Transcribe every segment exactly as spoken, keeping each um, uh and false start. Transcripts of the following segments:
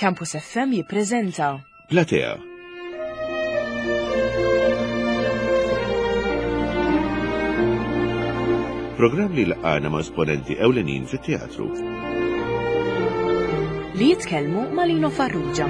Campus F M jippreżenta Platea. Programm li laqana ma' esponenti ewlenin fit-teatru. Li jitkellmu ma' Lino Farrugia.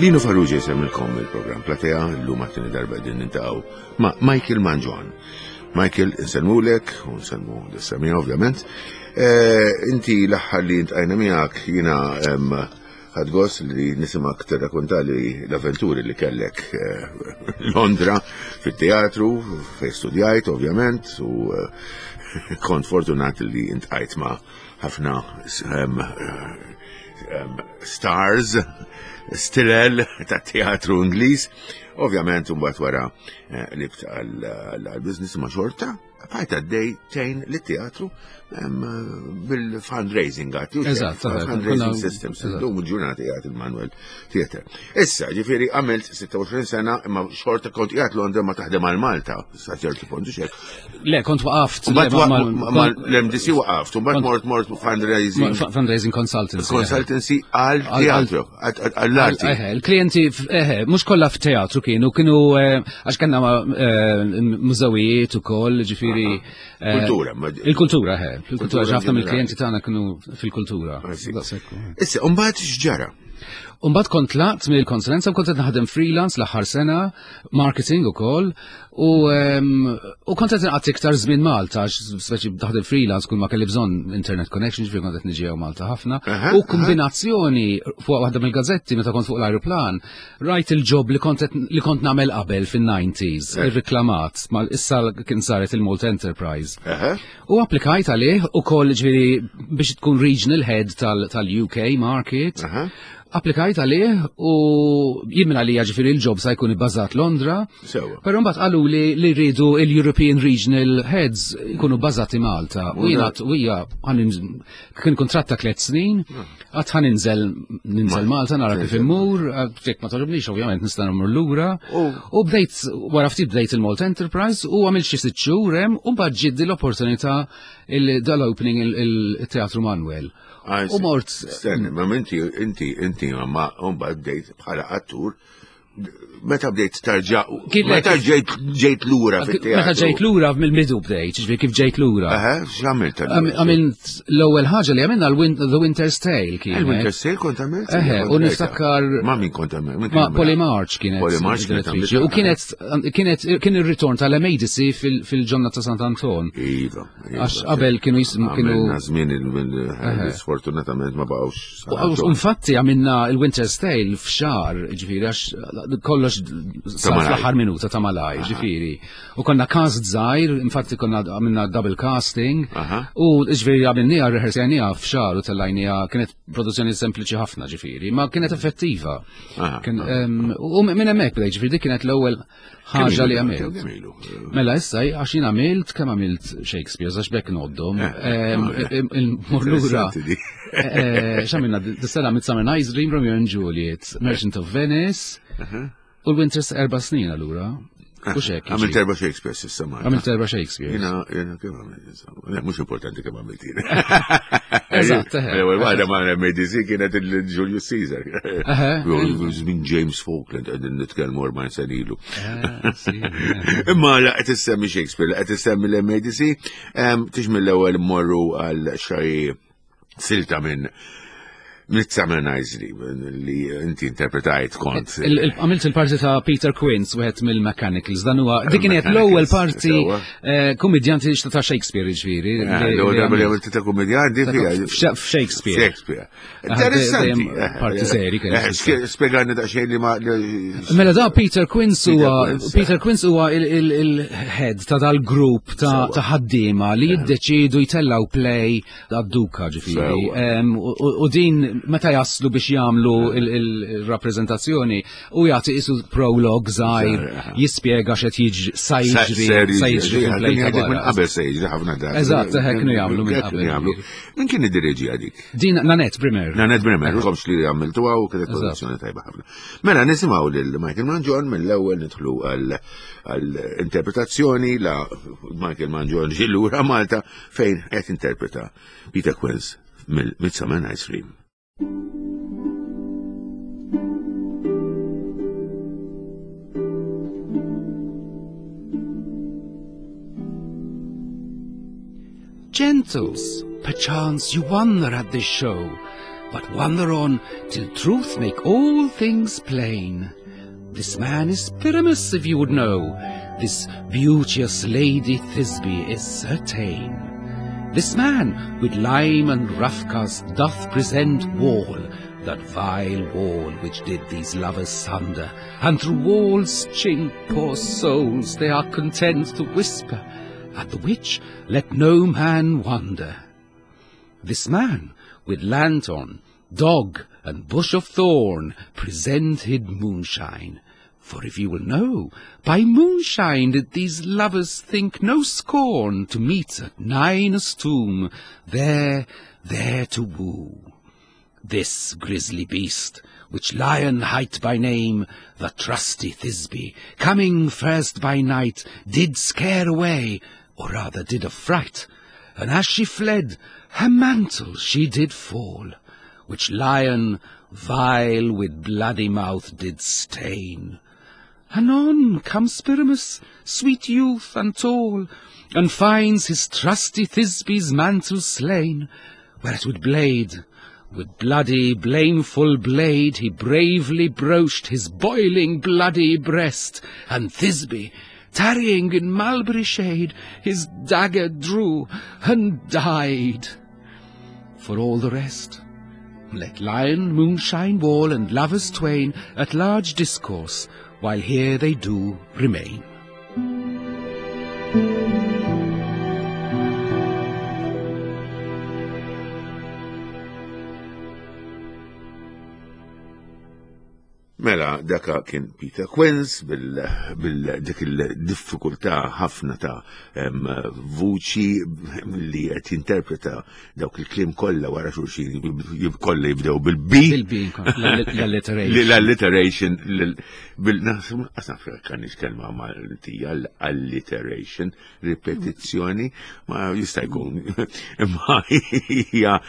Lino Farrugia jsemmilkom il-programm Platea, l-lum għat-tieni darba din niltaqgħu ma' Michael Mangion. Michael, insellmulek, u nsellmu lis-semmiegħa ovvjament. Eh, Inti l-aħħar li iltqajna miegħek jiena em, ħadt gost li nismgħek tirrakkontali l-avventuri li kellek eh, Londra fit-teatru, fej studjajt ovvjament, u eh, kont fortunat li iltqajt ma' ħafna em, em, stars, stilel ta' teatru Ingliż. Ovvjament, mbagħad wara eh, qlibt għal-business ma' xorta, bqajt għaddej tgħin lit-teatru em, bil-fundraising għati. Eżatt, eżatt. Fundraising Konna- systems, eżatt. Illum il-ġurnata jgħat il-Manuel Theatre. Issa, ġifieri, għamilt sitta u għoxrin sena, imma xorta kont qiegħed Londra ma taħdem għal Malta, sa ċertu punt, xek. Le, kont waqaft. Mbagħad le, ma- ma- l-M D C waqaft, mbagħad kont- mort mort fundraising ma- Fundraising consultancy. Consultancy għal teatru, għall-arti. Eħe, il-klienti, eħe, mux kollha f'teatru kienu, kienu, eh, għax kellna eh, mużewijiet ukoll, ġifieri. eh, Kultura, ma- Il-kultura, eħe, il-kultura, Kultura ħafna ġenerali. mill-klienti tagħna kienu fil-kultura. I see. Daqshekk. Issa, mbagħad x'ġara? Umbagħad kont tlaqt mill-konsulenza u kont qed naħdem freelance l-aħħar sena, marketing ukoll, u em, u kont qed inqatta' iktar żmien Malta, għax speċi taħdem freelance kull ma kelli bżonn internet connection, ġifieri kont qed niġi hawn Malta ħafna. Aha, U kombinazzjoni fuq waħda mill-gazzetti meta kont fuq l-ajruplan, rajt il-job li kont qed- li kont nagħmel qabel fin-nineties, Eh. irriklamat, mal issa kien saret il-Malta Enterprise. Eħe. U applikajt għalih u koll ġifieri biex tkun regional head tal- tal-U K market. Aha. Applikajt għalih u jien minn għalija ġifieri il-job sa jkun ibbażat Londra. Sewa. Però mbagħad qalu li li rridu il-European Regional Heads jkunu bbażati Malta. U jiena u hija kien kontratt ta' tliet snin, għedt ħa ninżel ninżel Malta nara kif immur, jekk ma togħġobnix ovvjament nista' nmur lura. U- U bdejt wara ftit bdejt il-Malta Enterprise u għamilt xi sitt xhur hemm u mbagħad ġiet l-opportunità dal-opening il-Teatru Manuel. I U see. mort Stenni, ma inti, inti, inti, ma mbagħad bdejt bħala attur, meta bdejt tarġa, Kif- meta ġejt ġejt lura fit-teatru? Meta ġejt lura mill-bidu bdejt, ġifieri kif ġejt lura. Eħe, x'għamilt? Għam- Għamilt l-ewwel ħaġa li għamilna l-Win- The Winter's Tale kienet. Il-Winter's Tale kont għamilt? Eħe, Kont u rajtha. niftakar- Ma min kont għamilt? Min Ma kien għamilha? Polly March kienet. Polly March kienet direttriċi. għamiltha. U kienet kienet kien ir-ritorn tal-M A D C fil-ġonna ta' Sant Anton. Iva. iva. Għax qabel kienu jismu kienu. Għamilna żmien il- sfortunatament ma baqgħux. San U Anton. infatti għamilna il-Winter's Tale f'xahar, ġifieri, għax kollox sar malaj. fl-aħħar minuta ta' malaj, ġifieri. U konna cast żgħir, infatti konna għamilna double casting, Aha. u ġifieri għamilniha rehearsajniha f'xahar u tellajniha, kienet produzzjoni sempliċi ħafna ġifieri, ma kienet effettiva. Aha, Kien, em, U minn hemmhekk bdejt, ġifieri dik kienet l-ewwel ħaġa li għamilt. Kemm ilu? Mela issa, għax jien għamilt, kemm għamilt Shakespeare, għax bekk ngħoddhom. Eh, Em, em, Il-mur lura. Interessanti di. Eh, X'għamilna, dis-sena Midsummer Night's Dream, Romeo and Juliet, Merchant of Venice, u l-Winter's erba' snin allura. U xek. Għamilt erba' Shakespeare s'issa Malta. Għamilt erba' Shakespeare. Jiena, jiena kemm għamilt, insomma. Le, mhux importanti kemm għamilt jiena. Eżatt, eħe. L-ewwel waħda ma' M A D C kienet il-Julius Caesar. Eħe. Minn James Falkland qegħdin nitkellmu erbgħin sena ilu. Eh, sì, eh. Imma la qed issemmi Shakespeare, la qed issemmi l-M A D C, tix mill-ewwel mmorru għal xi silta minn Midsummer Night's Dream li inti interpretajt kont. Il- il- Għamilt il-parti ta' Peter Quince, wieħed mill-Mechanicals, dan huwa dik kienet l-ewwel parti Sewwa. eh, kummedjanti ta' Shakespeare ġifieri. Eh, li- L-ewwel li darba li għamilt. għamilt ta' kummedjanti fija. F'Shakespeare. Shakespeare. Ah, Interessanti. dejjem parti seri kienet. Eh, sk- Spjegani daqsxejn li ma. li- Mela da Peter Quince Peter huwa Quince, Peter Quince huwa il-head ta' dal-grupp ta' Sewwa. ta' ħaddiema li jiddeċidu jtellaw play għad-duka ġifieri. Sewwa. Em, U u din meta jaslu biex jagħmlu il-rappreżentazzjoni u jagħti isu prolog żgħir jispjega x'qed jiġri sa jiġri sa jiġri fil-play ta' Minn qabel se jiġri ħafna drabi. Eżatt, hekk kienu jagħmlu minn qabel. Min kien iddireġi għadik? Din Nanette Brimer. Nanette Brimer, komx li għamiltuha u kienet produzzjoni tajba ħafna. Mela nisimgħu lil Michael Mangion mill-ewwel nidħlu għall-interpretazzjoni la Michael Mangion ġie lura Malta fejn qed interpreta Peter Quince mill-Midsummer Night's Dream. Gentles, perchance you wonder at this show, but wonder on till truth make all things plain. This man is Pyramus, if you would know. This beauteous lady Thisbe is certain. This man with lime and roughcast doth present wall, that vile wall which did these lovers sunder, and through walls chink poor souls they are content to whisper, at the which let no man wonder. This man with lanthorn, dog, and bush of thorn presented moonshine. For if you will know, by moonshine did these lovers think no scorn to meet at Ninus' tomb, there, there to woo. This grisly beast, which Lion hight by name, the trusty Thisbe, coming first by night, did scare away, or rather did affright, and as she fled, her mantle she did fall, which Lion, vile with bloody mouth, did stain. Anon comes Pyramus, sweet youth and tall, and finds his trusty Thisbe's mantle slain, whereat with blade, with bloody, blameful blade, he bravely broached his boiling bloody breast, and Thisbe, tarrying in mulberry shade, his dagger drew and died. For all the rest, let lion, moonshine, wall, and lovers twain at large discourse, while here they do remain. Mela, daka kien Peter Quince bil-dik il-diffikultà ħafna ta' vuċi li qed jinterpreta dawk il-kliem kollha wara xulxin kollha jibdew bil-B. Bil-B, l-alliteration. L-alliteration. Bil-nasab kanix kelma Maltija, l-alliteration, ripetizzjoni, ma jista' jkun. Imma hija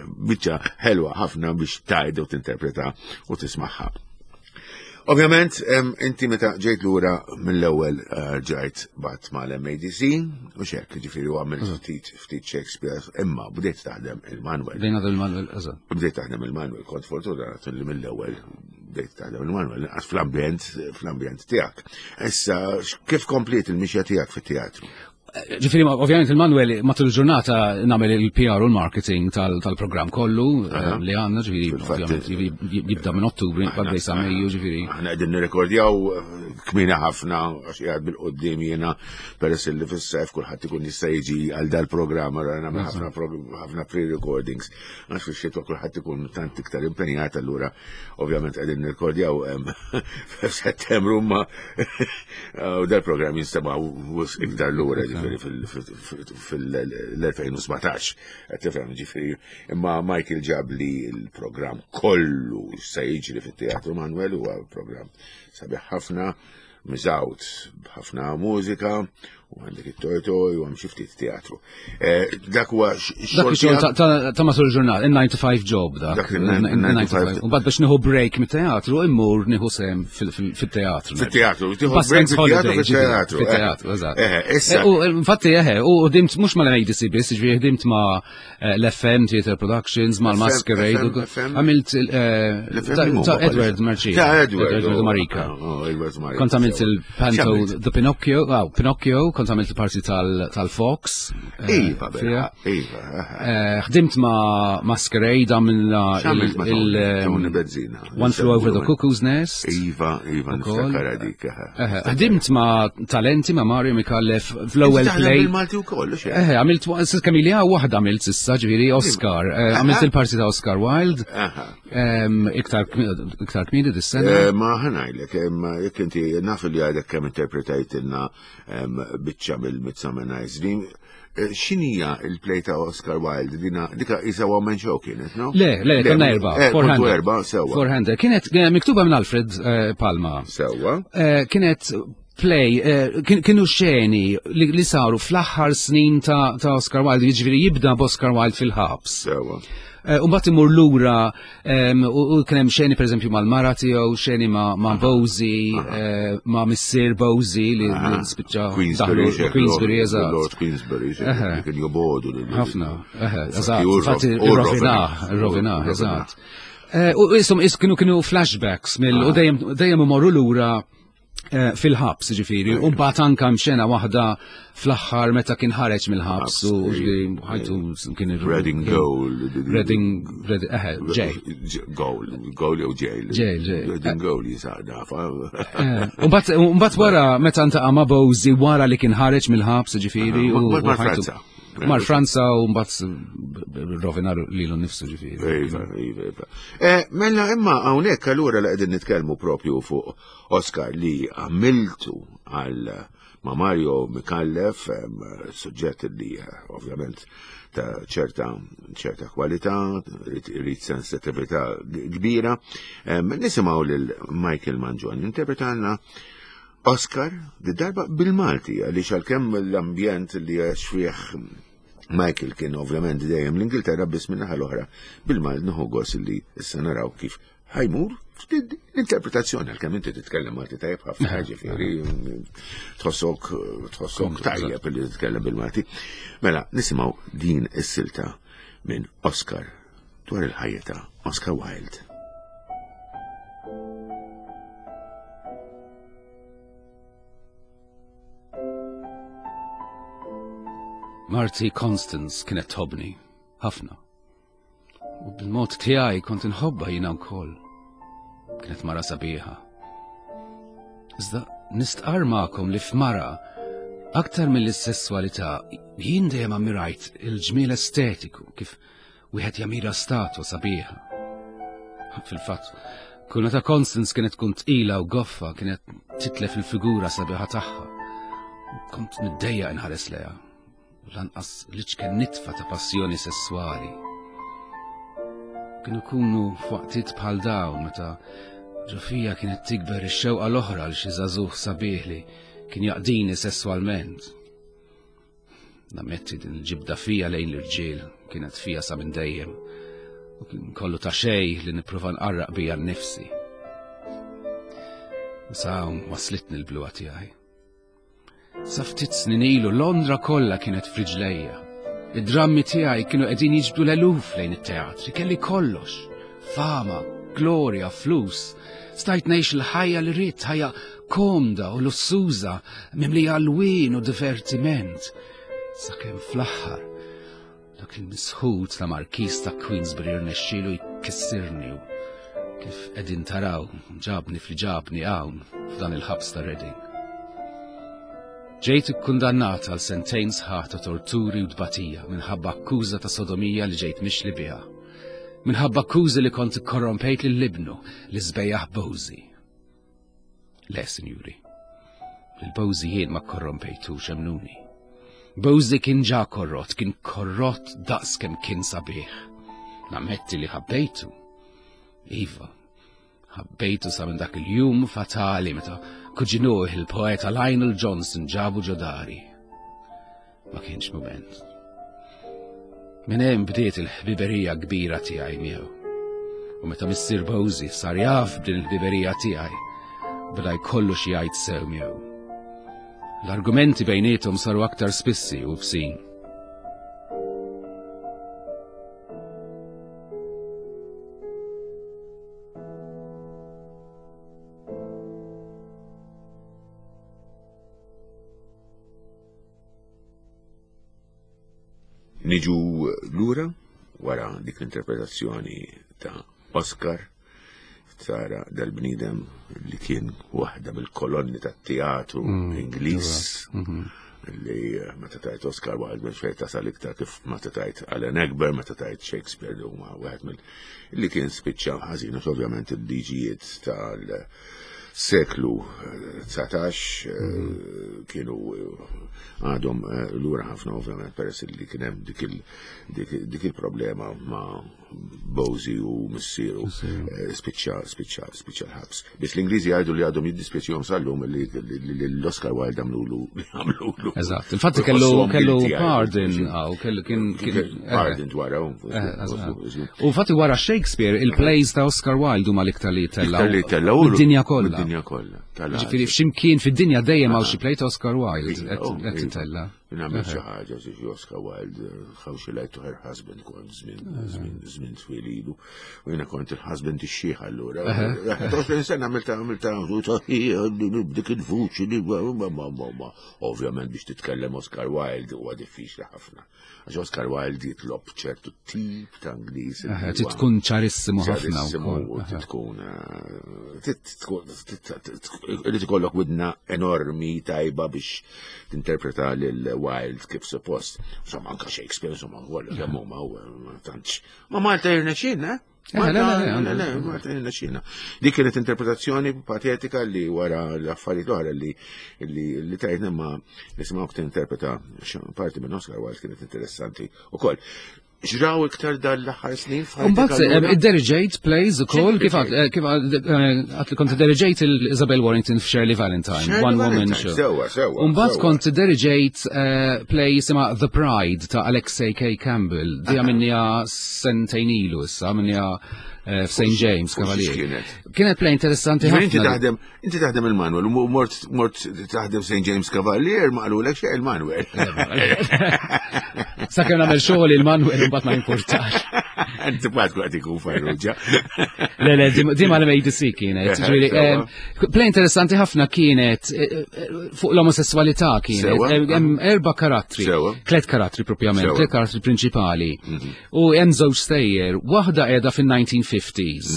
biċċa ħelwa ħafna biex tgħid u tinterpreta u tismaħħa. Ovvjament, inti meta ġejt lura mill-ewwel ġajt bat mal-M A D C u xek, ġifieri u għamilt ftit ftit Shakespeare, imma bdejt taħdem il-Manuel. Bdejna il-Manuel, eżatt. Bdejt taħdem il-Manuel, kont fortunat li mill-ewwel bdejt taħdem il-Manuel, għax fl-ambjent fl-ambjent tiegħek. Issa, kif kompliet il-mixja tiegħek fit-teatru? Ġifieri, ovvjament il-Manuel matul il-ġurnata nagħmel il-P R u l-marketing tal-programm kollu li għandna, ġifieri, ovvjament jibda minn Ottubru, għaddej sa Mejju, ġifieri. Aħna qegħdin nirrekordjaw kmina ħafna għax qiegħed bil-qudiem jiena peress li fis-sajf kulħadd ikun jista' jiġi għal dal-programm, allura nagħmel ħafna pre-recordings għax fix-xitwa kulħadd ikun tant iktar impenjat, allura ovvjament qegħdin nirrekordjaw f'Settembru ma u dal-programm jinstema' iktar lura fil-elfejn u sbatax, tifhem, ġifieri, imma Michael ġab li l-programm kollu se jiġri fit-Teatru Manuel, huwa programm sabiħ ħafna, miżgħud b'ħafna mużika, u għandek it-toj-toj u hemm xi ftit teatru. Dak huwa xogħol ta' matul il-ġurnal, il-nine to five job dak. Dak il-nine to five. U mbagħad biex nieħu break mit-teatru immur nieħu sehem fit-teatru. Fit-teatru, tieħu break fit-teatru. Fit-teatru, eżatt. U infatti eħe, u ħdimt mhux mal-M A D C biss, ġifieri ħdimt ma' l-F M Theatre Productions, mal-Masquerade, għamilt ta' Edward Marcia. Ta' Edward Marika. Kont għamilt Għamilt il-panto The Pinocchio, oh, Pinocchio, kont għamilt il-parti tal-Fox. Iva, iva. Ħdimt ma' Masquerade, għamilna il- Bezzina. One Flew Over the Cuckoo's Nest. Iva, iva, niftakar dik. Ħdimt ma' Talenti, ma' Mario Micallef fl-ewwel play. Malti wkoll, Eh, għamilt kamilja waħda għamilt s'issa, ġifieri Oscar. Għamilt il-parti ta' Oscar Wilde. Iktar iktar kmieni dis-sena. Ma ħa ngħidlek, jekk inti naf li għadek kemm interpretajtilna biċċa mill-Midsummer Night's Dream, x'inhija il-play ta' Oscar Wilde? Dina dika isa one man show kienet, no? Le, le, konna erba. Kontu erba, sewwa. Four-hander. Kienet miktuba minn Alfred Palma. Sewwa. Kienet play, kienu xeni li saru fl-aħħar snin ta' Oscar Wilde, jiġifieri jibda b'Oscar Wilde fil-ħabs. Sewwa. U mbagħad imur lura u kien hemm xeni pereżempju mal-mara tiegħu, xeni ma' Bosie, ma' Missier Bosie li spiċċa daħlu Queensbury, eżatt. Lord Queensbury, kien jobodu. Ħafna, eżatt. Infatti irrovinah, irrovinah, eżatt. U isom kienu kienu flashbacks mill u dejjem imorru lura fil-ħabs, ġifieri, u mbagħad anke hemm xena waħda fl-aħħar meta kien ħareġ mill-ħabs u ħajtu kien Reading Goal. Reading, eħe, jail. Goal, goal jew jail. Jail, jail. Reading Goal jisaq nafa. U mbagħad wara meta ntaqa' ma' Bosie wara li kien ħareġ mill-ħabs, ġifieri, u Mar Franza. Mar Franza u mbagħad rovina lilu nnifsu, ġifieri. Iva, iva, iva. Mela imma hawnhekk allura li qegħdin nitkellmu propju fuq Oscar li għamiltu għal ma' Mario Micallef, suġġett li ovvjament ta' ċerta ċerta kwalità, rrid sensitività kbira. Nisimgħu lil Michael Mangion interpretalna Oscar di darba bil-Malti, għaliex għalkemm l-ambjent li għax fih Michael kien ovvjament dejjem l-Ingilterra, biss minn naħa l-oħra bil-Malti nieħu gost li issa naraw kif ħajmur l-interpretazzjoni, għalkemm inti titkellem Malti tajjeb ħafna, ġifieri tħossok tħossok tajjeb li titkellem bil-Malti. Mela nisimgħu din is-silta minn Oscar dwar il-ħajja ta' Oscar Wilde. Marti Constance kienet tħobbni, ħafna. U bil-mod tiegħi kont inħobbha jiena wkoll. Kienet mara sabiħa. Iżda nistqar magħkom li f'mara, aktar mill-sesswalità, jien dejjem ammirajt il-ġmiel estetiku kif wieħed jamira statwa sabiħa. Fil-fatt, kull meta Constance kienet tkun tqila u goffa, kienet titlef il-figura sabiħa tagħha. Kont niddejjaq inħares lejha. U lanqas liċken nitfa ta' passjoni sessuali. Kienu kunu f'waqtiet bħal dawn meta ġofija kienet tikber ix-xewqa l-oħra għal xi żagħżugħ sabiħ li kien jaqdini sesswalment. Nammetti din il-ġibda fija lejn l-irġiel kienet fija sa minn dejjem u kien kollu ta' xejn li nipprova nqarraq bija nnifsi. Sa hawn waslitni l-bluha tiegħi. Sa ftit snin ilu Londra kollha kienet f'riġlejja. Id-drammi tiegħi kienu qegħdin jiġbdu l-eluf lejn it-teatri, kelli kollox. Fama, glorja, flus. Stajt ngħix il-ħajja li rrid, ħajja komda u lussuża, mimlija alwien u divertiment. Sakemm fl-aħħar dak il-misħut ta' Markiż ta' Queensbury rnexxielu jkissirni u kif qegħdin taraw ġabni fli ġabni hawn f'dan il-ħabs ta' Reading. Ġejt ikkundannat għal sentejn sħaħ ta' torturi u tbatija minħabba akkuża ta' sodomija li ġejt mixli biha. Minħabba akkużi li kont ikkorrompejt lil ibnu li żbejjaħ Bosie. Le, sinjuri, lil Bosie jien ma korrompejtux, emnuni. Bosie kien ġa korrott, kien korrott daqs kemm kien sabiħ. Nammetti li ħabbejtu. Iva, ħabbejtu sa minn dak il-jum fatali meta kuġinuh il-poeta Lionel Johnson ġabu ġodari. Ma kienx mument. Minn hemm bdiet il-ħbiberija kbira tiegħi miegħu. U meta Missier Bosie sar jaf b'din il-ħbiberija tiegħi, beda jkollu xi jgħid sew miegħu. L-argumenti bejniethom saru aktar spissi u bsin. Niġu lura wara dik l-interpretazzjoni ta' Oscar, tara dal-bniedem li kien waħda mill-kolonni tat-teatru Ingliż, li eh, meta tajt Oscar Wilde minn fejn tasal iktar kif meta tajt Alan Ayckbourn, meta tajt Shakespeare, li huma wieħed mill li kien spiċċa ħażin, għax ovvjament il-liġijiet tal-seklu dsatax eh, kienu eh, għadhom eh, lura ħafna, ovvjament, peress li kien hemm dik il- dik- dik il-problema ma' Bosie u missieru, eh, spiċċa spiċċa spiċċa l-ħabs. Biss l-Ingliżi jgħidu li għadhom jiddispjaċihom sal-lum li li- li l-Oscar Wilde għamlulu għamlulu. Eżatt, infatti kellu Iħossuhom kellu guilty, jgħidu. pardon, għaw, kellu kien kien Pardon dwar Eh, U fatti wara Shakespeare, il-plays ta' Oscar Wilde huma l-iktar li tellaw. Iktar li tellaw. Id-dinja kollha. Id-dinja kollha. Ġifieri f'ximkien fid-dinja dejjem hawn xi play ta' Oscar Wilde qed Oh, qed titella. Nagħmel xi ħaġa xi Oscar Wilde, "How She Lied to Her Husband", kont żmien żmien żmien twil ilu. U jiena kont il-husband ix-xiħ allura. Għoxrin sena għamilta għamilta dik il-vuċi li ma ma ma ma. Ovvjament biex titkellem Oscar Wilde huwa diffiċli ħafna. Għax Oscar Wilde jitlob ċertu tip ta' Ingliż. Trid tkun ċarissimu ħafna ċarissimu, wkoll. trid tkun eh, trid tkun irid ikollok widna enormi tajba biex tinterpreta lil Wilde kif suppost. Insomma, anka Shakespeare, insomma, kollha kemm huma u ma tantx. Ma Malta jirnexxina, eh? Eh, le, le, le, le, le, Malta jirnexxina. Dik kienet interpretazzjoni patetika li wara l-affarijiet l-oħra li li li tajtna, ma nisimgħu tinterpreta parti minn Oscar Wilde kienet interessanti ukoll. Ġraw iktar dal-aħħar snin f'ħajtek Mbagħad allura? id-diriġejt plays ukoll, kif X'inhi għad kif għad li kont diriġejt il-Isabel Warrington f'Shirley Valentine, Shirley One Woman Valentine, Show. Sewa, sewa. Umbagħad sewa. kont diriġejt eh, play jisimha The Pride ta' Alexei K. Campbell. Di għamilniha sentejn ilu issa, għamilniha eh, f'Saint James Fuq xiex Cavalier. kienet? Kienet play interessanti Ġifieri inti ħafna. taħdem, inti taħdem il-Manuel, u mort mort taħdem Saint James Cavalier, ma qalulek xejn il-Manuel. Sakemm nagħmel xogħol il-Manuel, imbagħad ma jimpurtax. Inti bad qed ikun Farrugia. Le, le, di- di ma l-M A D C kienet. Ġifieri, Sewa. em, Play interessanti ħafna kienet eh, eh, fuq l-omosessualità kienet. Sewa. Em, Hemm erba' karattri, Sewa. tliet karattri propjament, Sewa. tliet karattri prinċipali. U hemm żewġ stejjer, waħda qiegħda fin-nineteen fifties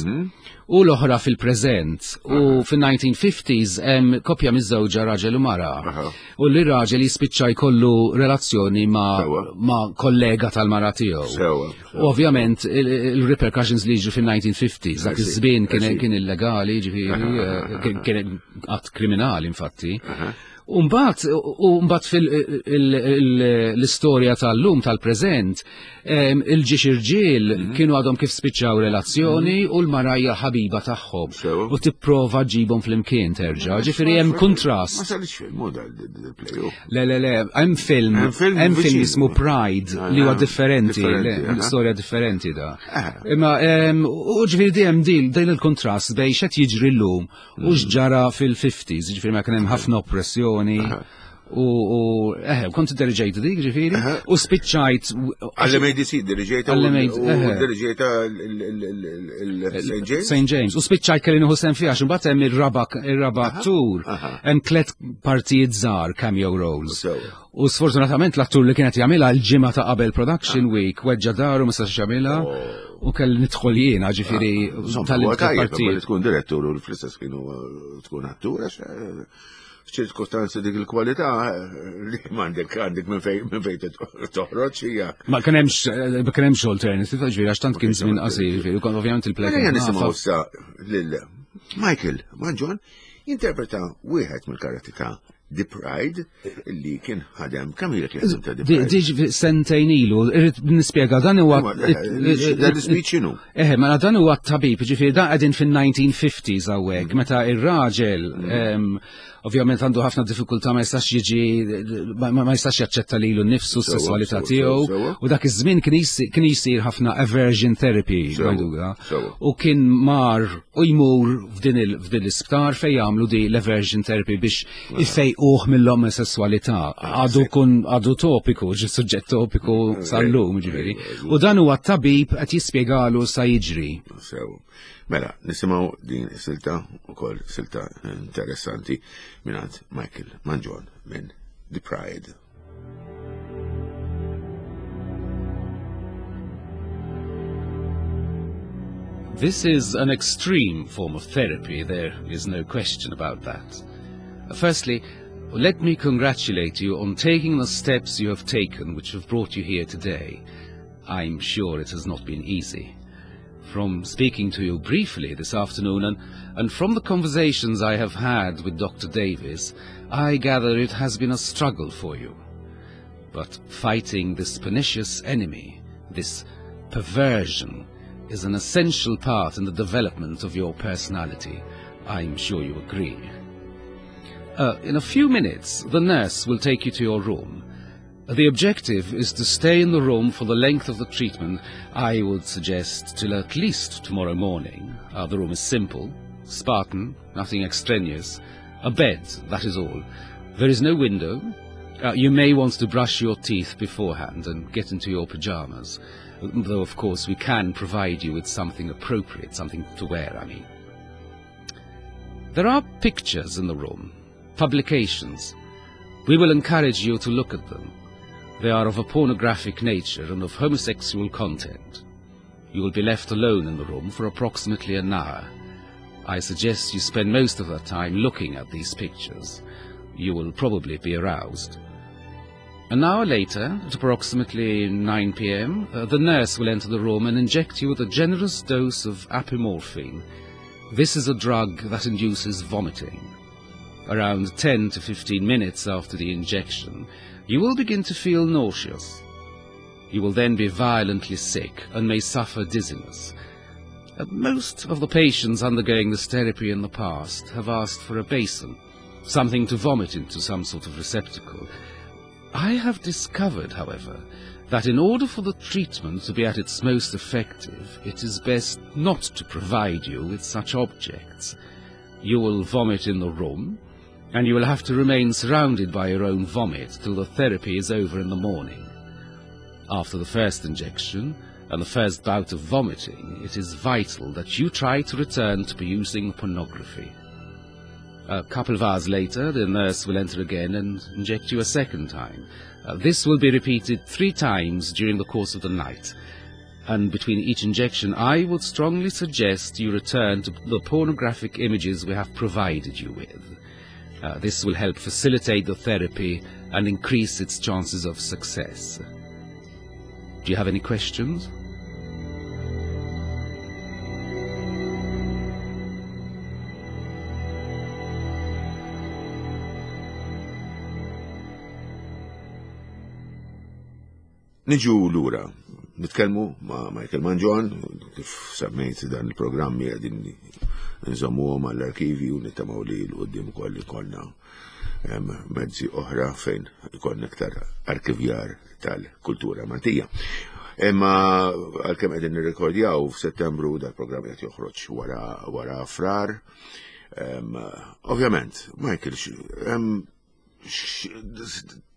u l-oħra fil-preżent. U fin-nineteen fifties hemm koppja miżżewġa, raġel u mara. Aha. U li raġel jispiċċa jkollu relazzjoni ma' Sewa. ma' kollega tal-mara tiegħu. Sewa. U ovvjament il-repercussions li jiġu fin-nineteen fifties, dak I see, iż-żmien kien I see. kien illegali, ġifieri, eh, kien kien att kriminali infatti. Umbat, umbat fil-istorja tal-lum tal-preżent, em, il-żewġ irġiel Mhm. kienu għadhom kif spiċċaw relazzjoni u l-mara hija ħabiba tagħhom. Sewa. U tipprova ġibhom flimkien terġa'. Ġifieri hemm kontrast. Ma sarix film, u dal-play. Le, le, le, hemm film, Hemm film hemm film viċin. jismu Pride li huwa Ah, differenti, differenti, le, aha. storja differenti da. Ah. Imma em, u ġifieri dejjem din din il-kontrast bejn x'qed jiġri llum u Mm. x'ġara fil-fifties, ġifieri ma kien hemm ħafna oppressjoni. U, u eh, kont diriġejt dik, ġifieri, u spiċċajt Għall-M A D C diriġejta Għall-M A D C, u eħe. diriġejta il-Saint James? Saint James. U spiċċajt kelli nieħu sehem fiha, x'imbagħad hemm ir-raba ir-raba attur, aha. hemm tliet partijiet żgħar, cameo roles. Sewa. U sfortunatament l-attur li kienet jagħmilha l-ġimgħa ta' qabel production week weġġa dahru, ma setax jagħmilha u kelli nidħol jiena, ġifieri Insomma, tal huwa tajjeb, partijiet. li tkun direttur u fl-istess kienu uh, tkun attur, għax eh, f'ċirkostanzi dik il-kwalità eh, li m'għandek għandek minn fejn minn fejn toħroġ hija. Ma kien hemmx ma kien hemmx alternative, ġifieri għax tant kien żmien qasir, ġifieri, u kon ovvjament il-play. Mela kien nisimgħu ħafna. issa lil Michael Mangion jinterpreta wieħed mill-karattri ta' The Pride li kien ħadem. Kemm ilek li ħadem ta' The Di Pride? Diġ sentejn ilu, irrid nispjega, dan huwa Dan l-speech x'inhu? Eħe, mela dan huwa t-tabib, ġifieri dan qegħdin fin-nineteen fifties hawnhekk, meta ir-raġel em, ovvjament għandu ħafna diffikultà, ma jistax jiġi ma ma jistax jaċċetta lilu nnifsu, s-sesswalità sewa, tiegħu, sewa. U dak iż-żmien kien jisir, kien jisir ħafna aversion therapy, Sewa, ngħiduha. sewa. U kien mar u jmur f'din il- f'din l-isptar fejn jagħmlu di l-aversion therapy biex ifejquh mill-omosessualità. Għadu kun għadu topiku, ġi suġġett topiku sal-lum, ġifieri. U dan huwa t-tabib qed jispjegalu sa jiġri. Sew. Mela, nisimgħu din silta ukoll, silta interessanti mingħand Michael Mangion minn The Pride. This is an extreme form of therapy, there is no question about that. Firstly, let me congratulate you on taking the steps you have taken which have brought you here today. I'm sure it has not been easy. From speaking to you briefly this afternoon and, and from the conversations I have had with Doctor Davis, I gather it has been a struggle for you. But fighting this pernicious enemy, this perversion, is an essential part in the development of your personality. I'm sure you agree. Uh, in a few minutes, the nurse will take you to your room. The objective is to stay in the room for the length of the treatment. I would suggest till at least tomorrow morning. Uh, the room is simple, Spartan, nothing extraneous. A bed, that is all. There is no window. Uh, you may want to brush your teeth beforehand and get into your pajamas. Though, of course, we can provide you with something appropriate, something to wear, I mean. There are pictures in the room, publications. We will encourage you to look at them. They are of a pornographic nature and of homosexual content. You will be left alone in the room for approximately an hour. I suggest you spend most of that time looking at these pictures. You will probably be aroused. An hour later, at approximately nine p m, uh, the nurse will enter the room and inject you with a generous dose of apomorphine. This is a drug that induces vomiting. Around ten to fifteen minutes after the injection, you will begin to feel nauseous. You will then be violently sick and may suffer dizziness. Uh, most of the patients undergoing this therapy in the past have asked for a basin, something to vomit into, some sort of receptacle. I have discovered, however, that in order for the treatment to be at its most effective, it is best not to provide you with such objects. You will vomit in the room, and you will have to remain surrounded by your own vomit till the therapy is over in the morning. After the first injection and the first bout of vomiting, it is vital that you try to return to perusing pornography. A couple of hours later, the nurse will enter again and inject you a second time. Uh, this will be repeated three times during the course of the night. And between each injection, I would strongly suggest you return to the pornographic images we have provided you with. Uh, this will help facilitate the therapy and increase its chances of success. Do you have any questions? Niġu lura, nitkellmu ma' Michael Mangion, kif semmejt dan il-programmi qegħdin nżommuhom għall-arkivi u nittamaw li l-qudiem ukoll ikollna mezzi oħra fejn ikollna iktar arkivjar tal-kultura Maltija. Imma għalkemm qegħdin nirrekordjaw f'Settembru dal-programm qed joħroġ wara wara Frar. Ovvjament, Michael,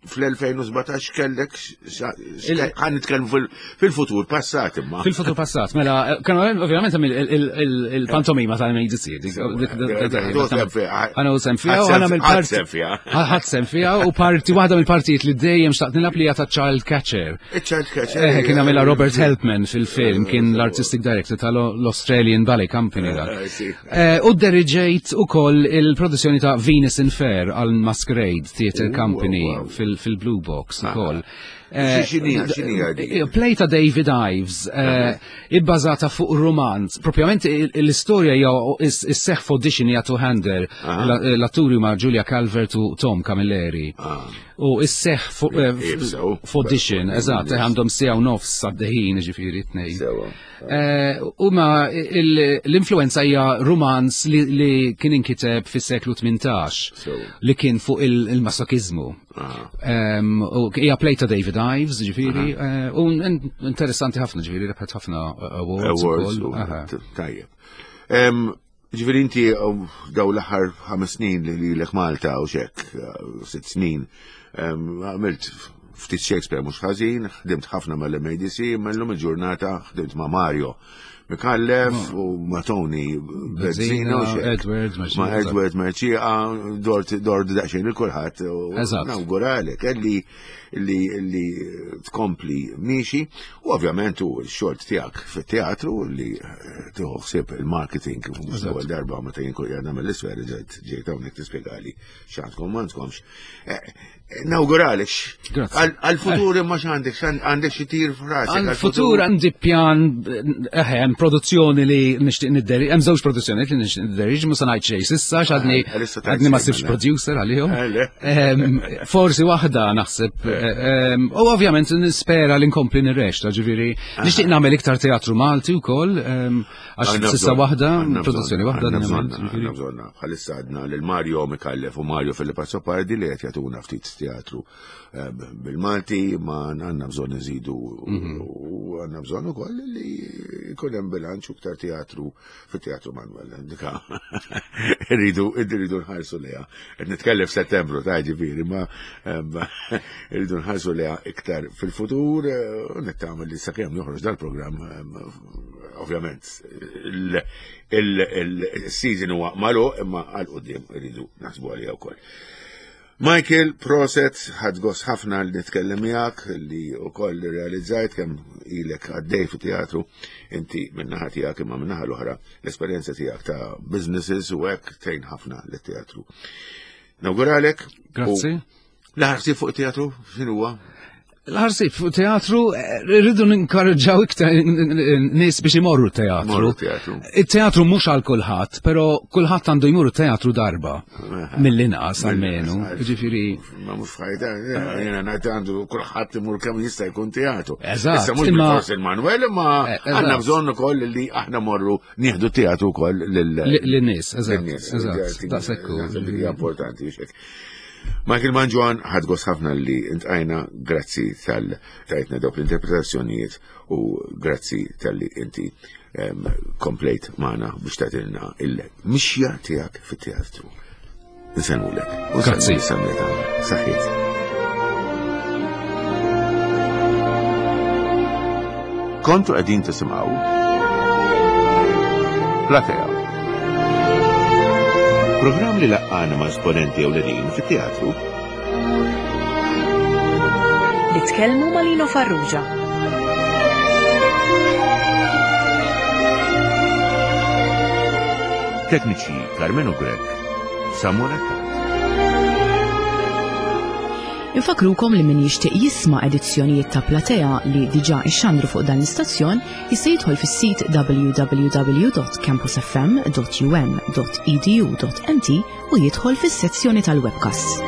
fl-elfejn u sbatax kellek ħan nitkellmu fil-futur passat imma. Fil-futur passat, mela, kienu ovvjament il-pantomima tal-M A D C. Għana u sem fija, u għana mill-parti. Ħadd sem fija, u parti waħda mill-partijiet li dejjem xtaqt nilgħab li hija ta' Child Catcher. Child Catcher. Eh, kien għamilha Robert Helpmann fil-film, kien l-artistic director tal-Australian Ballet Company dak. U deriġejt ukoll il-produzzjoni ta' Venus in Fur għal Masquerade Theatre Company fil fil-Blue Box ukoll. Play ta' David Ives, ibbażata fuq romanz. Propjament l-istorja hija is-seħħ f'audition hija two-hander, l-atturi ma' Julia Calvert u Tom Camilleri. U is-seħħ f'audition, eżatt, għandhom siegħa u nofs għad-deħin, ġifieri tnejn. U ma l-influenza hija romanz li kien inkiteb fis-seklu tmintax, li kien fuq il-masokiżmu. U hija play ta' David Ives, ġifieri, u interessanti ħafna, ġifieri, rebħet ħafna awards. Awards, tajjeb. Ġifieri inti daw l-aħħar ħames snin li lilek Malta u xek, sitt snin, għamilt ftit Shakespeare mhux ħażin, ħdimt ħafna mal-M A D C, imma llum il-ġurnata ħdimt ma' Mario Micallef u ma' Tony Bezzina u xek. Edward Ma' Mercieca. Edward Mercieca, dort dort daqsxejn lil kulħadd u Eżatt. nawguralek li li li tkompli miexi u ovvjament u x-xogħol tiegħek fit-teatru li eh, tieħu ħsieb il-marketing mhux l-ewwel darba meta jien kull nagħmel l-isfer ġejt ġejt hawnhekk tispjegali x'għandkom m'għandkomx. Eh, eh, Nawguralek. Grazzi. Għal- Għal-futur imma x'għandek x'għand- għandek xi tir f'rasek. Għal-futur għandi pjan, eħe, hemm produzzjoni li nixtieq nidderi, hemm żewġ produzzjoni li nixtieq nidderi, mhux se ngħid xejn s'issa x'għadni Ah, għalissa tgħid għadni ma xejn, sibx mela. producer għalihom. Eh, le. Em, Forsi waħda naħseb, em, u ovvjament nispera li nkompli nirreċta, ġifieri nixtieq nagħmel iktar teatru Malti wkoll, em, għax Għandna s'issa bżonn, waħda, għandna produzzjoni bżonn, waħda għandna għadni bżonn, għamilt, ġifieri. għandna bżonn. Bħalissa għadna lil Mario Micallef u Mario Philip Azzopardi li qed jagħtuna ftit teatru eh, bil-Malti, ma għandna bżonn nżidu Mhm. u għandna bżonn ukoll li jkun hemm bilanċ u iktar teatru fit-teatru Manuel. Dika irridu irridu nħarsu leha. Qed nitkellem f'Settembru ta' ġifieri, ma em, irridu nħarsu leha iktar fil-futur eh, u nittama li sakemm joħroġ dal-programm em, ovvjament il- il- il-season huwa magħluq imma għal quddiem irridu naħsbu għaliha wkoll. Michael, proset, ħadt gost ħafna li nitkellem miegħek li wkoll realizzajt kemm ilek għaddej fi teatru inti min-naħa tiegħek imma min-naħa l-oħra l-esperjenza tiegħek ta' businesses u hekk tgħin ħafna lit-teatru. Nawguralek. Grazzi. L-aħħar fuq teatru x'inhu huwa? L-ħarsib fuq teatru, eh, rridu ninkoraġġaw iktar nies biex imorru teatru. Morru teatru. Il-teatru mhux għal kulħadd, però kulħadd għandu jmur teatru darba. Mill-inqas almenu. Ġifieri. Ma mhux f'ħajta, jiena ngħid għandu kulħadd imur kemm jista' jkun teatru. Eżatt, Issa mhux imma- bilfors il-Manuel, imma Eh, eżatt. għandna bżonn ukoll li aħna morru nieħdu teatru wkoll lil Lin-nies, eżatt, lin-nies. eżatt, daqshekk hu. Naħseb li hija importanti biex hekk. Michael Mangion, ħadt gost ħafna li iltqajna, grazzi tal tajtna dawk l-interpretazzjonijiet u grazzi tal-li inti em, komplejt magħna biex tagħtilna il-mixja tiegħek fit-teatru. Nsellmulek. U Grazzi. Nsemmu Saħħiet. Kontu qegħdin tisimgħu Platea. Programm li laqqana ma' esponenti ewlenin fit-teatru Li tkellmu ma' Lino Farrugia. Tekniċi Carmenu Grech, Samuel Attard. Infakrukom li min jixtieq jisma' edizzjonijiet ta' Platea li diġà ixxandru fuq dan l-istazzjon jista' jidħol fis-sit w w w dot campusfm dot u m dot e d u dot m t u jidħol fis-sezzjoni tal-webcast.